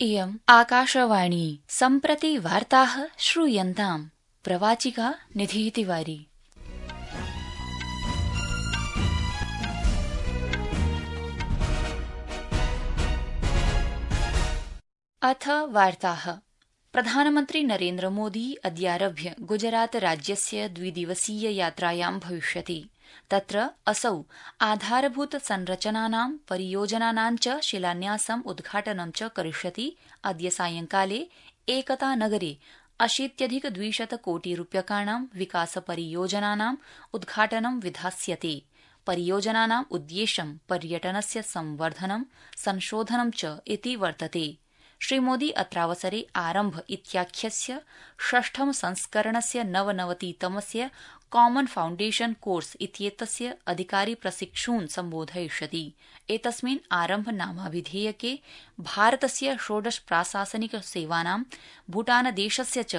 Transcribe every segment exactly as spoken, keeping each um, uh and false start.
इयम् आकाशवाणी सम्प्रति वार्ताः श्रूयन्ताम्। प्रवाचिका निधिः तिवारी। अथ वार्ताः। प्रधानमन्त्री नरेन्द्र मोदी अद्यारभ्य गुजरात राज्यस्य द्विदिवसीय यात्रायां भविष्यति। तत्र असौ आधारभूत संरचनानां परियोजनानां च शिलान्यासम् उद्घाटनं च करिष्यति। अद्य सायंकाले एकता नगरे अशीत्यधिक द्विशत कोटि रूप्यकाणां विकास परियोजनानाम् उद्घाटनं विधास्यते। परियोजनानाम् उद्देश्यं पर्यटनस्य संवर्धनं संशोधनं च इति वर्तते। श्रीमोदी अत्रावसरे आरम्भ इत्याख्यस्य षष्ठम संस्करणस्य नवनवतितमस्य कॉमन फाउण्डेशन कोर्स इत्येतस्य अधिकारी प्रशिक्षून् सम्बोधयिष्यति। एतस्मिन् आरम्भ नामाभिधेयके भारतस्य षोडश प्राशासनिक सेवानां, भूटानदेशस्य च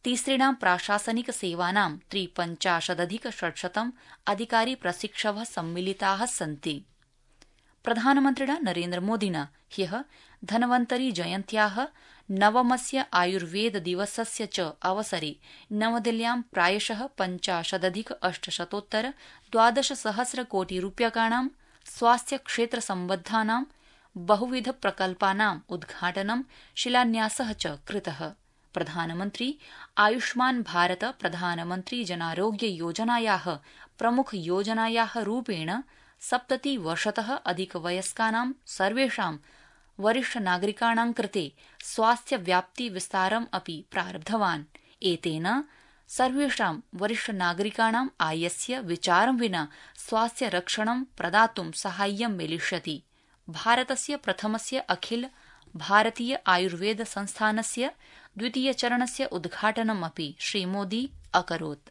तिसृणां प्राशासनिक सेवानां त्रिपञ्चाशदधिक षट्शतं अधिकारी प्रशिक्षवः सम्मिलिताः सन्ति। प्रधानमन्त्रिणा नरेन्द्रमोदिना ह्यः धन्वन्तरी जयन्त्याः नवमस्य आयुर्वेद दिवसस्य च अवसरे नवदिल्ल्यां प्रायशः पञ्चाशदधिक अष्टशतोत्तर द्वादशसहस्र कोटि रूप्यकाणां स्वास्थ्यक्षेत्रसम्बद्धानां बहुविध प्रकल्पानाम् उद्घाटनं शिलान्यासः च कृतः। प्रधानमन्त्री आयुष्मान् भारत प्रधानमन्त्री जनारोग्य योजनायाः प्रमुख योजनायाः रूपेण सप्ततिवर्षतः अधिकवयस्कानां सर्वेषां वरिष्ठ नागरिकाणां कृते स्वास्थ्य व्याप्ति विस्तारम् अपि प्रारब्धवान्। एतेन सर्वेषां वरिष्ठ नागरिकाणां आयस्य विचारं विना स्वास्थ्य रक्षणं प्रदातुं साहाय्यं मिलिष्यति। भारतस्य प्रथमस्य अखिल भारतीय आयुर्वेद संस्थानस्य द्वितीयचरणस्य उद्घाटनमपि श्रीमोदी अकरोत्।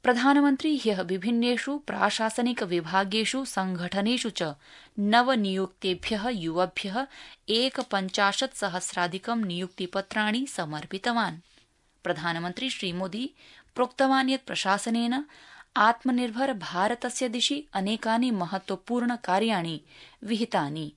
प्रधानमन्त्री ह्यः विभिन्नेषु प्राशासनिक विभागेषु संघटनेषु च नवनियुक्तेभ्यः युवभ्यः एकपञ्चाशत् सहस्राधिकं नियुक्तिपत्राणि समर्पितवान्। प्रधानमन्त्री श्रीमोदी प्रोक्तवान् यत् प्रशासनेन आत्मनिर्भर भारतस्य दिशि अनेकानि महत्वपूर्ण कार्याणि विहितानि।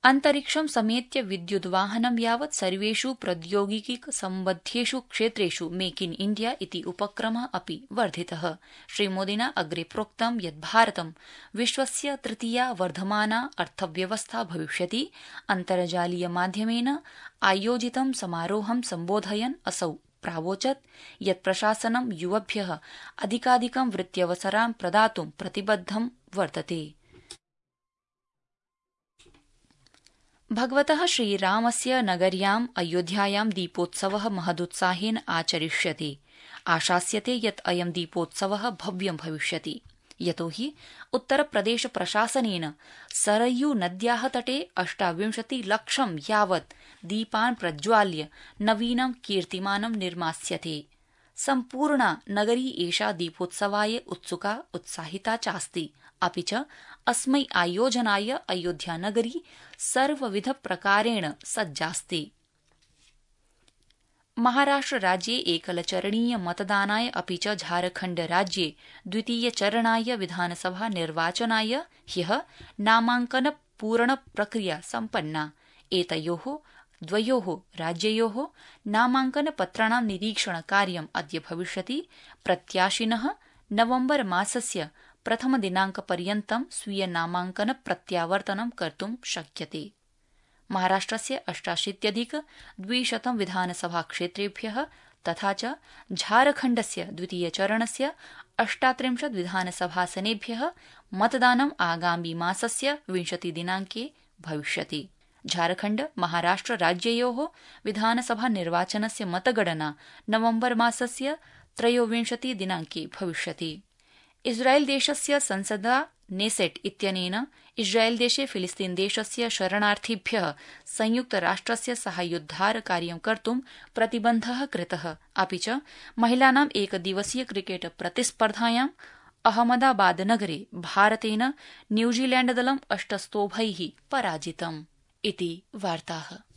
अन्तरिक्षं समेत्य विद्युद्वाहनं यावत् सर्वेषु प्रौद्योगिकी सम्बद्धेषु क्षेत्रेषु मेक इन इण्डिया इति उपक्रमः अपि वर्धितः। श्रीमोदिना अग्रे प्रोक्तं यत् भारतं विश्वस्य तृतीया वर्धमाना अर्थव्यवस्था भविष्यति। अन्तर्जालीय माध्यमेन आयोजितं समारोहं सम्बोधयन् असौ प्रावोचत् यत् प्रशासनं युवभ्यः अधिकाधिकं वृत्त्यवसरान् प्रदातुं प्रतिबद्धं वर्तते। भगवतः श्रीरामस्य नगर्याम् अयोध्यायां दीपोत्सवः महदुत्साहेन आचरिष्यते। आशास्यते यत् अयं दीपोत्सवः भव्यं भविष्यति, यतो हि उत्तरप्रदेश प्रशासनेन सरयू नद्याः तटे अष्टाविंशति लक्षं यावत् दीपान् प्रज्वाल्य नवीनं कीर्तिमानं निर्मास्यते। सम्पूर्णा नगरी एषा दीपोत्सवाय उत्सुका उत्साहिता चास्ति। अपि च अस्मै आयोजनाय अयोध्यानगरी सर्वविध प्रकारेण सज्जास्ति। महाराष्ट्रराज्ये एकलचरणीय मतदानाय अपि च झारखण्डराज्ये द्वितीयचरणाय विधानसभा निर्वाचनाय ह्यः नामाङ्कन पूरण प्रक्रिया सम्पन्ना। एतयोः द्वयोः राज्ययोः नामाङ्कनपत्राणां निरीक्षणकार्यम् अद्य भविष्यति। प्रत्याशिनः नवम्बर मासस्य प्रथमदिनाङ्कपर्यन्तं स्वीय नामाङ्कन प्रत्यावर्तनं कर्तुं शक्यते। महाराष्ट्रस्य अष्टाशीत्यधिक द्विशतं विधानसभाक्षेत्रेभ्यः तथा च झारखण्डस्य द्वितीयचरणस्य अष्टात्रिंशत् विधानसभासनेभ्यः मतदानं आगामि मासस्य विंशतिदिनाङ्के भविष्यति। झारखण्ड महाराष्ट्र राज्ययोः विधानसभा निर्वाचनस्य मतगणना नवम्बर मासस्य त्रयोविंशति दिनाङ्के भविष्यति। इस्राएल देशस्य संसदा नेसेट इत्यनेन इस्राएल देशे फिलिस्तीन देशस्य शरणार्थिभ्यः संयुक्तराष्ट्रस्य साहाय्योद्धार कार्यं कर्तुं प्रतिबन्धः कृतः। अपि च महिलानाम् एकदिवसीय क्रिकेट प्रतिस्पर्धायाम् अहमदाबादनगरे भारतेन न्यूजीलैण्डदलं अष्टस्तोभैः पराजितम्। इति वार्ताः।